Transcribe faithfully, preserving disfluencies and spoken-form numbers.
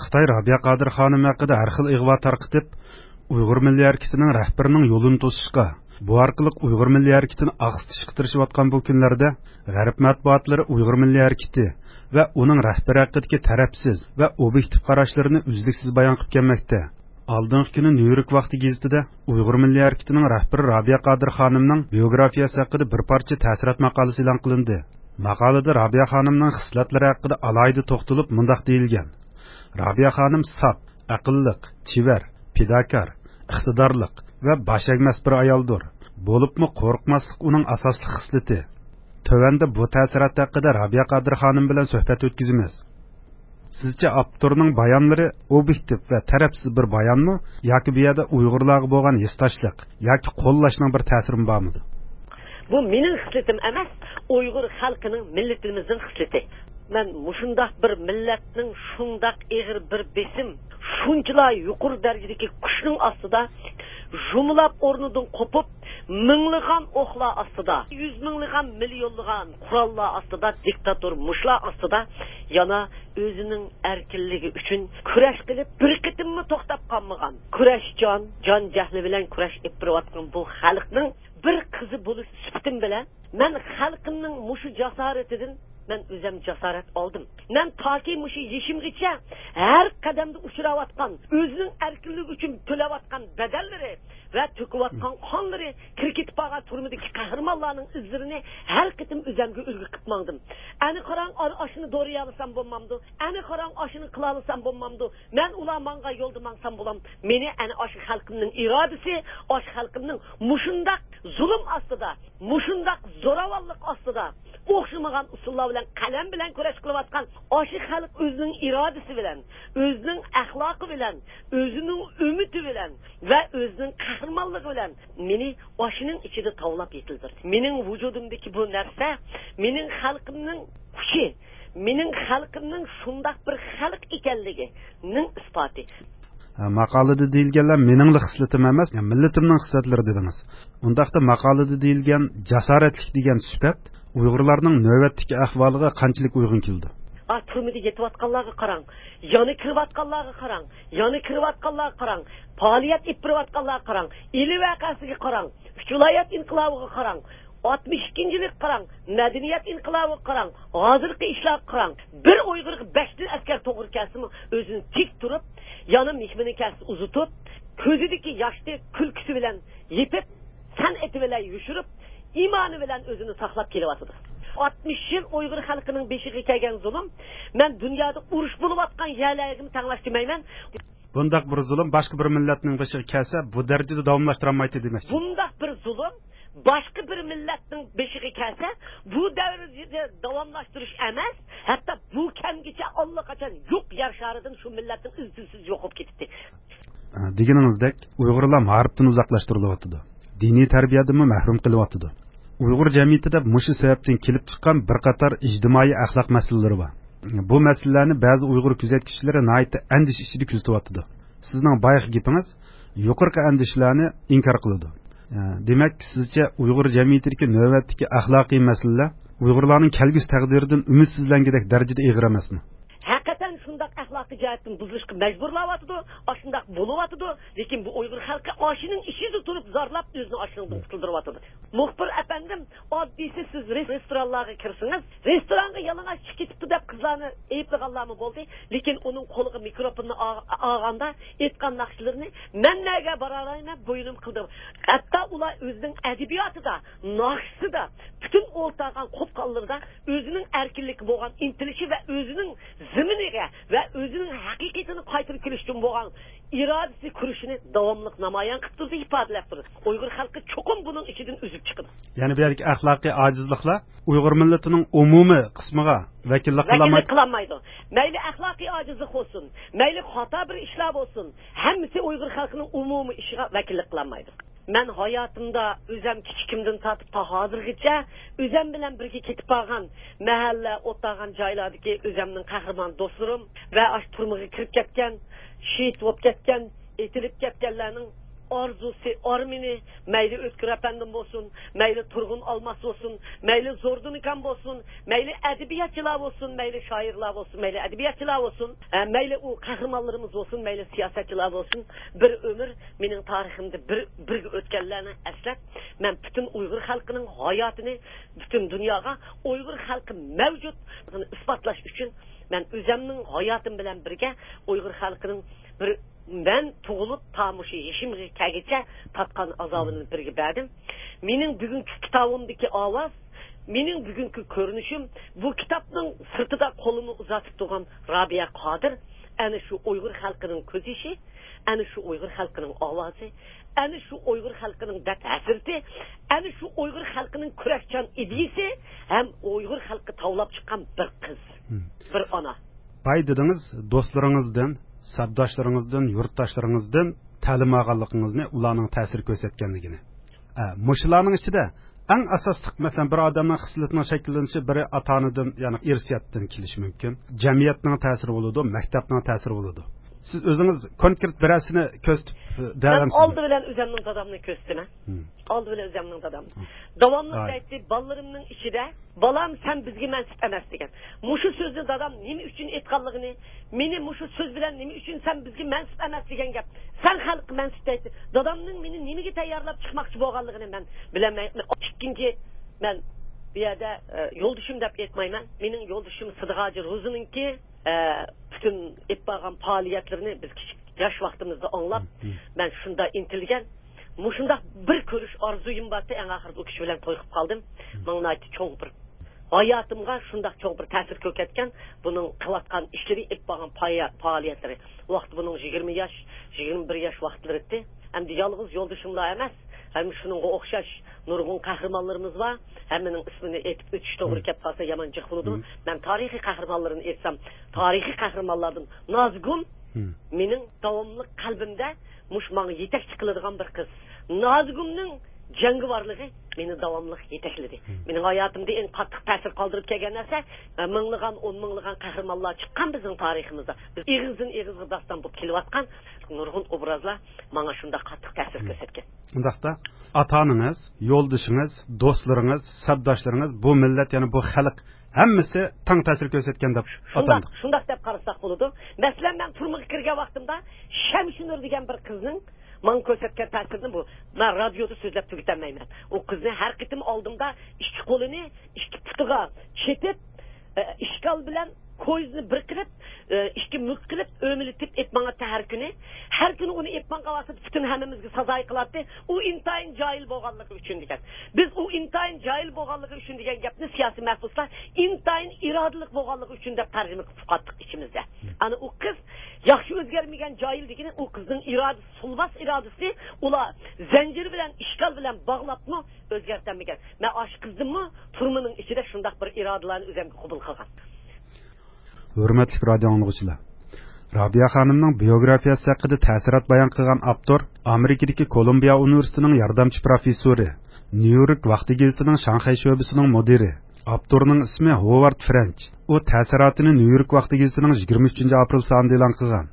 خىتاي رابىيە قادىر خانىم ھەققىدە ھەر خىل ئىغۋا تارقىتىپ، ئۇيغۇر مىللىي ھەرىكىتىنىڭ رەھبىرىنىڭ يولىنى توسۇشقا، بۇ ئارقىلىق ئۇيغۇر مىللىي ھەرىكىتىنى ئاقسىتىشقا تىرىشىۋاتقان بۇ كۈنلەردە، غەرب مەتبۇئاتلىرى ئۇيغۇر مىللىي ھەرىكىتى ۋە ئۇنىڭ رەھبىرى ھەققىدىكى تەرەپسىز ۋە ئوبيېكتىپ قاراشلىرىنى ئۈزلۈكسىز بايان قىلىپ كەلمەكتە. ئالدىنقى كۈنى نيۇ يورك ۋاقتى گېزىتىدە ئۇيغۇر مىللىي ھەرىكىتىنىڭ رەھبىرى رابىيە قادىر خانىمنىڭ بىيوگرافىيەسى ھەققىدە بىر پارچە تەسىرات ماقالىسى ئېلان قىلىندى. ماقالىدە رابىيە خانىمنىڭ خىسلەتلىرى ھەققىدە ئالاھىدە توختىلىپ مۇنداق دېيىلگەن: رابىيە خانىم ساپ، ئەقىللىق، چېۋەر، پىداكار، ئىقتىدارلىق ۋە باش ئەگمەس بىر ئايالدۇر. بولۇپمۇ قورقماسلىق ئۇنىڭ ئاساسلىق خىسلىتى. تۆۋەندە بۇ تەسىرات ھەققىدە رابىيە قادىر خانىم بىلەن سۆھبەت ئۆتكۈزىمىز. سىزچە ئاپتورنىڭ بايانلىرى ئوبيېكتىپ ۋە تەرەپسىز بىر بايانمۇ ياكى بۇ يەردە ئۇيغۇرلارغا بولغان ھېسداشلىق ياكى قوللاشنىڭ بىر تەسىرىمۇ بارمىدى؟ بۇ مېنىڭ خىسلىتىم ئەمەس، ئۇيغۇر خەلقىنىڭ، مىللىتىمىزنىڭ خىسلىتى. مەن مۇشۇنداق بىر مىللەتنىڭ شۇنداق ئېغىر بىر بېسىم، شۇنچىلا يۇقىرى دەرىجىدىكى كۈچنىڭ ئاستىدا، ژۇمۇلاپ ئورنىدىن قوپۇپ، مىڭلىغان ئوقلار ئاستىدا، يۈز مىڭلىغان، مىليونلىغان قوراللار ئاستىدا، دىكتاتور مۇشۇلار ئاستىدا يەنە ئۆزىنىڭ ئەركىنلىكى ئۈچۈن كۈرەش قىلىپ، بىر قېتىممۇ توختاپ قالمىغان، كۈرەشچان، جان جەھلى بىلەن كۈرەش ئېلىپ بېرىۋاتقان بۇ خەلقنىڭ بىر قىزى بولۇش سۈپىتىم بىلەن، مەن خەلقىمنىڭ مۇشۇ جاسارىتىدىن مەن ئۆزۈم جاسارەت ئالدىم. مەن تاكى مۇشۇ يېشىمغىچە ھەر قەدەمدە ئۇچراۋاتقان، ئۆزىنىڭ ئەركىنلىكى ئۈچۈن تۆلەۋاتقان بەدەللىرى ۋە تۆكۈۋاتقان قانلىرى، كىرىپ كېتىپ قالغان تۈرمىدىكى قەھرىمانلارنىڭ ئىزلىرىنى ھەر قېتىم ئۆزەمگە ئۈلگە قىلىپ ماڭدىم. ئەنە قاراڭ، ئا-، ئاشۇنى دورىيالىسام بولمامدۇ؟ ئەنە قاراڭ، ئاشۇنى قىلالىسام بولمامدۇ؟ مەن ئۇلار ماڭغان يولدا ماڭسام بولام. مېنى ئەنە ئاشۇ خەلقىمنىڭ ئىرادىسى، ئاشۇ خەلقىمنىڭ مۇشۇنداق زۇلۇم ئاستىدا، مۇشۇنداق زوراۋانلىق ئاستىدا ئوخشىمىغان ئۇسۇللار بىلەن، قەلەم بىلەن كۈرەش قىلىۋاتقان ئاشۇ خەلق ئۆزىنىڭ ئىرادىسى بىلەن، ئۆزىنىڭ ئەخلاقى بىلەن، ئۆزىنىڭ ئۈمىدى بىلەن ۋە ئۆزىنىڭ قەھرىمانلىقى بىلەن مېنى ئاشۇنىڭ ئىچىدە تاۋلاپ يېتىلدۈردى. مېنىڭ ۋۇجۇدۇمدىكى بۇ نەرسە مېنىڭ خەلقىمنىڭ كۈچى، مېنىڭ خەلقىمنىڭ شۇنداق بىر خەلق ئىكەنلىكىنىڭ ئىسپاتى. ھە، ماقالىدە دېيىلگەنلەر مېنىڭلا خىسلىتىم ئەمەس، مىللىتىمنىڭ خىسلەتلىرى دېدىڭىز. ئۇنداقتا ماقالىدە دېيىلگەن جاسارەتلىك دېگەن سۈپەت ئۇيغۇرلارنىڭ نۆۋەتتىكى ئەھۋالىغا قانچىلىك ئۇيغۇن كېلىدۇ؟ ئا، تۈرمىدە يېتىۋاتقانلارغا قاراڭ، يەنە كىرىۋاتقانلارغا قاراڭ، يەنە كىرىۋاتقانلارغا قاراڭ، پائالىيەت ئېلىپ بېرىۋاتقانلارغا قاراڭ، ئىلى ۋەقەسىگە قاراڭ، ئۈچ ۋىلايەت ئىنقىلابىغا قاراڭ، ئاتمىش ئىككىنچى يىلىغا قاراڭ، مەدەنىيەت ئىنقىلابىغا قاراڭ، ھازىرقى ئىشلارغا قاراڭ. بىر ئۇيغۇرغا بەش مىڭ ئەسكەر توغرا كەلسىمۇ، ئۆزىنى تىك تۇرۇپ، يەنە مېھمىنى كەلسە ئۇزىتىپ، كۆزىدىكى ياشنى كۈلكىسى بىلەن يېپىپ، سەنئىتى بىلەن يوشۇرۇپ، ئىمانى بىلەن ئۆزىنى ساقلاپ كېلىۋاتىدۇ. ئاتمىش يىل ئۇيغۇر خەلقىنىڭ بېشىغا كەلگەن زۇلۇم، مەن دۇنيادا ئۇرۇش بولۇۋاتقان يەرلەرگىمۇ تەڭلەش دېمەيمەن. بۇنداق بىر زۇلۇم باشقا بىر مىللەتنىڭ بېشىغا كەلسە، بۇ دەرىجىدە داۋاملاشتۇرالمايتتى دېمەكچى. بۇنداق بىر زۇلۇم باشقا بىر مىللەتنىڭ بېشىغا كەلسە، بۇ دەرىجىدە داۋاملاشتۇرۇش ئەمەس، ھەتتا بۇ كەمگىچە ئاللىقاچان يوق يەر شارىدىن شۇ مىللەتنىڭ ئىزچىلسىز يوقىلىپ كېتىپتۇ. دېگىنىڭىزدەك، ئۇيغۇرلار مائارىپتىن ئۇزاقلاشتۇرۇلۇۋاتىدۇ. دىنىي تەربىيەدىنمۇ مەھرۇم قېلىۋاتىدۇ. ئۇيغۇر جەمئىيىتىدە مۇشۇ سەۋەبتىن كېلىپ چىققان بىر قاتار ئىجتىمائىي ئەخلاق مەسىلىلىرى بار. بۇ مەسىلىلەرنى بەزى ئۇيغۇر كۆزەتكۈچىلىرى ناھايىتى ئەندىشە ئىچىدە كۆزىتىۋاتىدۇ. سىزنىڭ بايىقى گېپىڭىز يۇقىرىقى ئەندىشىلەرنى ئىنكار قىلىدۇ. دېمەك، سىزچە ئۇيغۇر جەمئىيىتىدىكى نۆۋەتتىكى ئەخلاقىي مەسىلىلەر ئۇيغۇرلارنىڭ كەلگۈسى تەقدىرىدىن ئۈمىدسىزلەنگۈدەك دەرىجىدە ئېغىر ئەمەسمۇ؟ ھەقىقەتەن شۇنداق ئەخلاقىي جەھەتتىن بۇزۇلۇشقا مەجبۇرلاۋاتىدۇ، ئاشۇنداق بولۇۋاتىدۇ. لېكىن بۇ ئۇيغۇر خەلقى ئاشۇنىڭ ئىچىدە تۇرۇپ زارلاپ ئۆزىنى ئاشۇنىڭدىن قۇتۇلدۇرۇۋاتىدۇ. مۇخبىر ئەپەندىم، ئاددىيسى سىز رېس-، رېستورانلارغا كىرسىڭىز، رېستورانغا يالىڭاچ چىقىپ كېتىپتۇ دەپ قىزلارنى ئەيىبلىغانلارمۇ بولدى. لېكىن ئۇنىڭ قولىغا مىكروفوننى ئا-، ئالغاندا ئېيتقان ناخشىلىرىنى مەن نەگە بارالايمەن بوينۇم قىلدى. ھەتتا ئۇلار ئۆزىنىڭ ئەدەبىياتىدا، ناخشىسىدا، پۈتۈن ئولتۇرغان قوپقانلىرىدا ئۆزىنىڭ ئەركىنلىككە بولغان ئىنتىلىشى ۋە ئۆزىنىڭ زېمىنىگە ۋە ئۆزىنىڭ ھەقىقىتىنى قايتۇرۇپ كېلىش ئۈچۈن بولغان ئىرادىسى، كۈرىشىنى داۋاملىق نامايان قىلىپ تۇرىدۇ، ئىپادىلەپ تۇرىدۇ. ئۇيغۇر خەلقى چوقۇم بۇنىڭ ئىچىدىن ئۈزۈپ چىقىدۇ. يەنى بۇ يەردىكى ئەخلاقىي ئاجىزلىقلار ئۇيغۇر مىللىتىنىڭ ئومۇمىي قىسمىغا ۋەكىللىك قىلالمايدۇ. ۋەكىللىك قىلالمايدۇ. مەيلى ئەخلاقىي ئاجىزلىق بولسۇن، مەيلى خاتا بىر ئىشلار بولسۇن، ھەممىسى ئۇيغۇر خەلقىنىڭ ئومۇمىي ئىشىغا ۋەكىللىك قىلالمايدۇ. مەن ھاياتىمدا ئۆزەم كىچىكىمدىن تارتىپ تا ھازىرغىچە ئۆزەم بىلەن بىرگە كېتىپ بارغان مەھەللە، ئولتۇرغان جايلاردىكى ئۆزەمنىڭ قەھرىمان دوستلىرىم ۋە ئاشۇ تۈرمىگە كىرىپ كەتكەن، شېھىت بولۇپ كەتكەن، ئېتىلىپ كەتكەنلەرنىڭ ئارزۇسى، ئارمىنى، مەيلى ئۆتكۈر ئەپەندىم بولسۇن، مەيلى تۇرغۇن ئالماس بولسۇن، مەيلى زوردۇن ئاكام بولسۇن، مەيلى ئەدەبىياتچىلار بولسۇن، مەيلى شائىرلار بولسۇن، مەيلى ئەدەبىياتچىلار بولسۇن، ئە، مەيلى ئۇ قەھرىمانلىرىمىز بولسۇن، مەيلى سىياسەتچىلار بولسۇن، بىر ئۆمۈر مېنىڭ تارىخىمدا بىر، بىرگە ئۆتكەنلەرنى ئەسلەپ، مەن پۈتۈن ئۇيغۇر خەلقىنىڭ ھاياتىنى، پۈتۈن دۇنياغا ئۇيغۇر خەلقى مەۋجۇتلۇقىنى ئىسپاتلاش ئۈچۈن مەن ئۆزەمنىڭ ھاياتىم بىلەن بىرگە ئۇيغۇر خەلقىنىڭ بىر مەن تۇغۇلۇپ تا مۇشۇ يېشىمغا كەلگىچە تارتقان ئازابىنى بىرگە بەردىم. مېنىڭ بۈگۈنكى كىتابىمدىكى ئاۋاز، مېنىڭ بۈگۈنكى كۆرۈنۈشۈم، بۇ كىتابنىڭ سىرتىدا قولىنى ئۇزاتىپ تۇرغان رابىيە قادىر، ئەنە شۇ ئۇيغۇر خەلقىنىڭ كۆز يېشى، ئەنە شۇ ئۇيغۇر خەلقىنىڭ ئاۋازى، ئەنە شۇ ئۇيغۇر خەلقىنىڭ دەرد ھەسرىتى، ئەنە شۇ ئۇيغۇر خەلقىنىڭ كۈرەكچان ئىدىيىسى ھەم ئۇيغۇر خەلقى تاۋلاپ چىققان بىر قىز، مم. بىر ئانا. باي دېدىڭىز، دوستلىرىڭىزدىن، سەپداشلىرىڭىزدىن، يۇرتداشلىرىڭىزدىن تەلىم ئالغانلىقىڭىزنى، ئۇلارنىڭ تەسىر كۆرسەتكەنلىكىنى. ئە، مۇشۇلارنىڭ ئىچىدە ئەڭ ئاساسلىق، مەسىلەن، بىر ئادەمنىڭ خىسلىتىنىڭ شەكىللىنىشى بىرى ئاتا-ئانىدىن، يەنى ئىرسىيەتتىن كېلىشى مۇمكىن. جەمئىيەتنىڭ تەسىرى بولىدۇ، مەكتەپنىڭ تەسىرى بولىدۇ. سىز ئۆزىڭىز كونكرېت بىرەرسىنى كۆرسىتىپ، ئە، مەن بېرەلەمسىزمۇ؟ ئالدى بىلەن ئۆزۈمنىڭ دادامنى كۆرسىتىمەن. ھىم. ئالدى بىلەن ئۆزۈمنىڭ دادامنى. ھىم. داۋاملىق ھاي. دەيتتى، بالىلىرىمنىڭ ئىچىدە، «بالام، سەن بىزگە مەنسۇپ ئەمەس» دېگەن. مۇشۇ سۆزنى دادام نېمە ئۈچۈن ئېيتقانلىقىنى، مېنى مۇشۇ سۆز بىلەن نېمە ئۈچۈن «سەن بىزگە مەنسۇپ ئەمەس» دېگەن گەپ، «سەن خەلققە مەنسۇپ» دەيتتى. دادامنىڭ مېنى نېمىگە تەييارلاپ چىقماقچى بولغانلىقىنى مەن بىلەلمەيمەن. ئىككىنچى، مەن بۇ يەردە، ئە، يولدىشىم دەپ ئېيتمايمەن. مېنىڭ يولدىشىم سىدىق ھاجى روزىنىڭكى، ئە، پۈتۈن ئېلىپ بارغان پائالىيەتلىرىنى بىز كىچىك ياش ۋاقتىمىزدا ئاڭلاپ، مم. مەن شۇنداق ئىنتىلگەن. مۇشۇنداق بىر كۆرۈش ئارزۇيۇم بارتى، ئەڭ ئاخىرىدا ئۇ كىشى بىلەن توي قىلىپ قالدىم. مم. ماڭا ناھايىتى چوڭ بىر، ھاياتىمغا شۇنداق چوڭ بىر تەسىر كۆرسەتكەن بۇنىڭ قىلىۋاتقان ئىشلىرى، ئېلىپ بارغان پايا-، پائالىيەتلىرى. ئۇ ۋاقىتتا بۇنىڭ يىگىرمە ياش، يىگىرمە بىر ياش ۋاقىتلىرى ئىدى. ئەمدى يالغۇز يولدىشىملا ئەمەس، ھەم شۇنىڭغا ئوخشاش نۇرغۇن قەھرىمانلىرىمىز بار. ھەممىنىڭ ئىسمىنى ئېيتىپ ئۆتۈش توغرا مم. كەپ قالسا يامان جىق بولىدۇ. مم. مەن تارىخىي قەھرىمانلىرىنى ئېيتسام، تارىخىي قەھرىمانلاردىن نازىگۈل مم. مېنىڭ داۋاملىق قەلبىمدە مۇشۇ ماڭا يېتەكچى قىلىدىغان بىر قىز. نازىگۈلنىڭ جەڭگىۋارلىقى مېنى داۋاملىق يېتەكلىدى. مم. مېنىڭ ھاياتىمدا ئەڭ قاتتىق تەسىر قالدۇرۇپ كەلگەن نەرسە، مىڭلىغان، ئون مىڭلىغان قەھرىمانلار چىققان بىزنىڭ تارىخىمىزدا. بىز ئېغىزدىن ئېغىزغا داستان بولۇپ كېلىۋاتقان نۇرغۇن ئوبرازلار ماڭا شۇنداق قاتتىق تەسىر مم. كۆرسەتكەن. ئۇنداقتا، ئاتا-ئانىڭىز، يولدىشىڭىز، دوستلىرىڭىز، سەپداشلىرىڭىز، بۇ مىللەت، يەنى بۇ خەلق ھەممىسى تەڭ تەسىر كۆرسەتكەن دەپ شۇنداق، ئاتاندى. شۇنداق دەپ قارىساق بولىدۇ. مەسىلەن، مەن تۈرمىگە كىرگەن ۋاقتىمدا شەمشىنۇر دېگەن بىر قىزنىڭ ماڭا كۆرسەتكەن تەسىرىنى بۇ، مەن رادىيودا سۆزلەپ تۈگىتەلمەيمەن. ئۇ قىزنى ھەر قېتىم ئالدىمدا ئىككى قولىنى ئىككى پۇتىغا چېتىپ، ئە، ئىشكال بىلەن كويزىنى بىر قىلىپ، ئە، ئىككى مۈك قىلىپ، ئۆمىلىتىپ ئېلىپ ماڭاتتى ھەر كۈنى. ھەر كۈنى ئۇنى ئېلىپ ماڭغان ۋاقتىدا پۈتۈن ھەممىمىزگە سازايى قىلاتتى. ئۇ ئىنتايىن جاھىل بولغانلىقى ئۈچۈن دېگەن. بىز ئۇ ئىنتايىن جاھىل بولغانلىقى ئۈچۈن دېگەن گەپنى سىياسىي مەھبۇسلار ئىنتايىن ئىرادىلىق بولغانلىقى ئۈچۈن دەپ تەرجىمە قىلىپ ئۇقاتتۇق ئىچىمىزدە. ئەنە ئۇ قىز ياخشى ئۆزگەرمىگەن جاھىل دېگىنى ئۇ قىزنىڭ ئىرادىسى، سۇلماس ئىرادىسى ئۇلار زەنجىر بىلەن، ئىشكال بىلەن باغلاپمۇ ئۆزگەرتەلمىگەن. مەن ئاشۇ قىزدىنمۇ تۈرمىنىڭ ئىچىدە شۇنداق بىر ئىرادىلارنى ئۆزۈمگە قوبۇل قىلغان. ھۆرمەتلىك رادىئو ئاڭلىغۇچىلار، رابىيە خانىمنىڭ بىيوگرافىيەسى ھەققىدە تەسىرات بايان قىلغان ئاپتور ئامېرىكىدىكى كولومبىيە ئۇنىۋېرسىتېتىنىڭ ياردەمچى پروفېسسورى، نيۇ يورك ۋاقتى گېزىتىنىڭ شاڭخەي شۆبىسىنىڭ مۇدىرى، ئاپتورنىڭ ئىسمى ھوۋارد فرېنچ. ئۇ تەسىراتىنى نيۇ يورك ۋاقتى گېزىتىنىڭ يىگىرمە ئۈچىنچى ئاپرېل سانىدا ئېلان قىلغان.